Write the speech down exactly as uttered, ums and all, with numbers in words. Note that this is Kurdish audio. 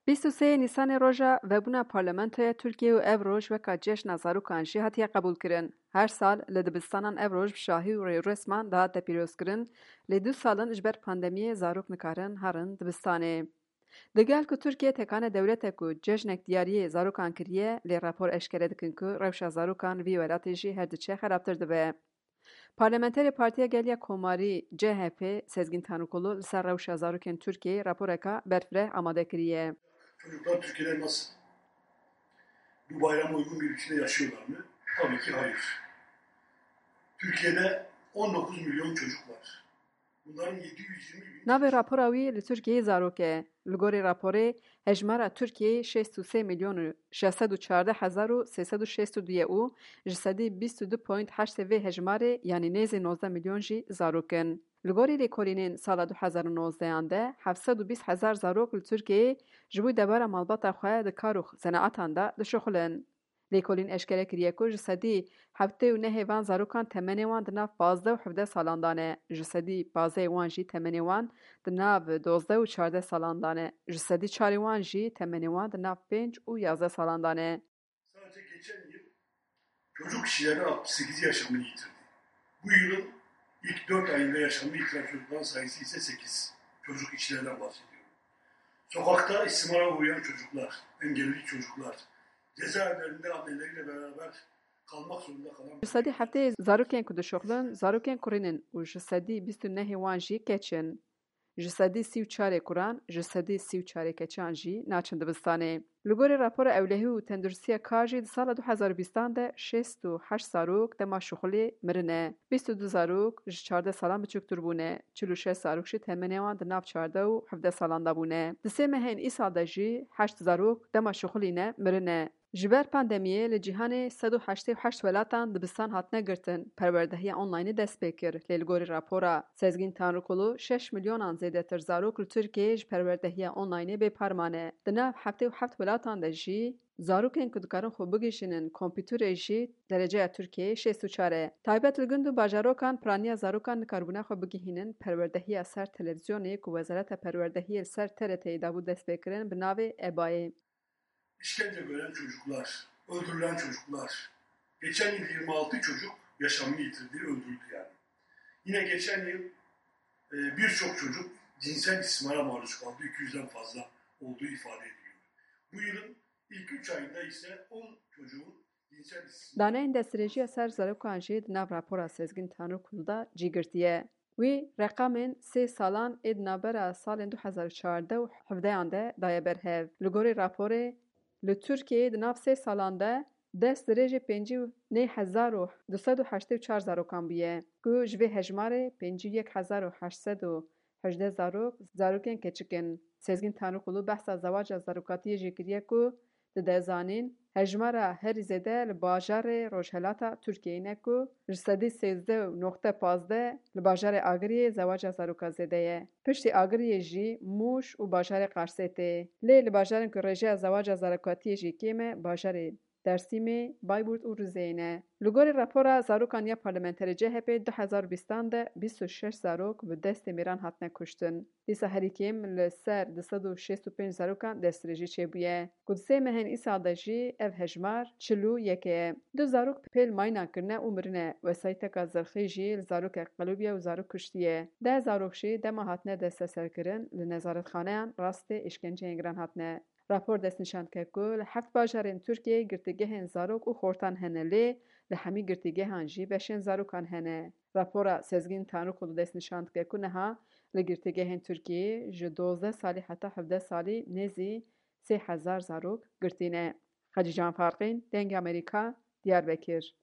Bîst û sê Nîsanê roja vebûna Parlamentoya Tirkiyê û ev roj weka cejna zarokan jî hatiye qebûlkirin. Her sal li dibistanan ev roj bi şahî û rêûresman dihate pîrozkirin, lê du sal in ji ber pandemiyê zarok nikarin herin dibistanê. Digel ku Tirkiye tekane dewletek ku cejnek diyariyê zarokan kiriye, lê rapor eşkere dikin ku rewşa zarokan li vî welatê jî her diçe xerabtir dibe. Parlamenterê Partiya Gel ya Komarî, C H P, Sezgîn Tanrikulu li ser rewşa zarokên Tirkiyeyê raporeka berfireh amade kiriye. Çocuklar Türkiye'de nasıl? Bu bayrama uygun bir biçimde yaşıyorlar mı? Tabii ki hayır. Türkiye'de on dokuz milyon çocuk var. Bunların yedi yüz yirmi bin... Navê rapora wî li Tirkiyeyê zarok e. Li gorî raporê, hejmara Tirkiyeyê şêst û sê milyon û şeş sed û çardeh hezar û sê sed û şêst û du ye û ji sedî bîst û du point heşt vê hejmarê, yanî nêzî nozdeh milyon jî zarok in. Li gorî lêkolînên sala du hezar û nozdehan de, heft sed û bîst hezar zarok li Tirkiyeyê ji bo debara malbata xwe di kar û zenaetan de dişuxulin. Lêkolîn eşkere kiriye ku ji sedî heftê û nehê van zarokan temenê wan di nav pazdeh û hevdeh salan de ne, ji sedî pazdehê wan jî temenê wan di nav dozdeh û çardeh salan de ne, ji sedî çarê wan jî temenê wan di nav pênc û yazdeh salan de ne. Sadece geçen yıl çocuk işçilerden altmış sekizi yaşamını yitirdi. Bu yılın ilk dört ayında yaşamını yitiren çocukların sayısı ise sekiz. Çocuk işçilerden bahsediyorum. Sokakta istismara uğrayan çocuklar, engelli çocuklar, cezaevlerinde anneleriyle beraber kalmak zorunda kalan... Ji sedî heftê zarokên ku dişuxulin, zarokên kurîn in û ji sedî bîst û nehê wan jî keç in. Ji sedî sî û çarê kuran, ji sedî sî û çarê keçan jî naçin dibistanê. Li gorî rapora ewlehî û tenduristiya kar jî di sala du hezar û bîstan de şêst û heşt zarok dema şuxulê mirine. Bîst û du zarok ji çardeh salan biçûktir bûne. Çil û şeş zarok jî temenê wan di nav çardeh û hevdeh salan de bûne. Di sê mehên îsal de jî heşt zarok dema şuxulîne mirine. Ji ber pandemiyê li cîhanê sed û heştê û heşt welatan dibistan hatine girtin, perwerdehiya onlaynê dest pê kir, lê li gorî rapora Sezgîn Tanrikulu, şeş milyonan zêdetir zarok li Tirkiyeyê ji perwerdehiya onlaynê bêpar mane. Di nav heftê û heft welatan de jî zarokên ku dikarin xwe bigihîjînin kompîterê jî dereceya Tirkiyeyê şêst û çar e. Taybet li gund û bajarokan piraniya zarokan nikarbûna xwe bigihînin, perwerdehiya ser televîzyonê ku Wezareta Perwerdehiyê li ser T R T'yê dabû destpêkirin bi navê EBA'yê. İşkence gören çocuklar, öldürülen çocuklar. Geçen yıl yirmi altı çocuk yaşamını yitirdi, öldürüldü yani. Yine geçen yıl, e, birçok çocuk cinsel istismara maruz kaldı, iki yüzden fazla olduğu ifade ediliyor. Bu yılın ilk üç ayında ise on çocuğun cinsel istismar... Daneyên destdirêjiya ser zarokan jî di nav rapora Sezgîn Tanrikulu de cî girtiye. Wî reqamên sê salan ê di navbera salên du hezar û çardeh û hevdehan de daye ber hev. Li gorî raporê, li Tirkiyeyê di nav sê salan de dest dirêjê pêncî û neh hezar û du sed û heştê û çar zarokan bûye, ku ji vê hejmarê pêncî û yek hezar û heşt sed û hejdeh zarok, zarokên keçik in. Sezgîn Tanrikulu behsa zewaca zarokatiyê jî kiriye ku dide zanîn, hejmara herî zêde li bajarê rojhelata Tirkiyeyê ne ku ji sedî sêzdeh û noqte pazdeh li bajarê Agiriyê zewaca zaroka zêde ye. Piştî Agiriyê jî Mûş û bajarê Qarsê tê. Lê li bajarên ku rêjeya zewaca zarokatiyê jî kêm e, bajarê Dêrsimê, Bayburt û Rizeyê ne. Li gorî rapora zarokan ya parlamenterê C H P, du hezar û bîstan de bîst û şeş zarok bi destê mêran hatine kuştin. Dîsa herî kêm li ser du sed û şêst û pênc zarokan destdirêjî çêbûye, ku di sê mehên îsal de jî ev hejmar çil û yek e. Du zarok pêl mayînan kirine û mirine. Wesayîteka zirxî jî li zarokek qelûbiye û zarok kuştiye. Deh zarok jî dema hatine desteserkirin li nezaretxaneyan rastê îşkenceyên giran hatine. Rapor destnîşan dike ku li heft bajarên Tirkiyeyê girtîgehên zarok û xortan hene, lê li hemî girtîgehan jî beşên zarokan hene. Rapora Sezgîn Tanrikulu destnîşan dike ku niha li girtîgehên Tirkiyeyê ji dozdeh salî heta hevdeh salî nêzî sê hezar zarok girtî ne. Xecîcan Farqîn, Dengê Amerîka, Diyarbekir.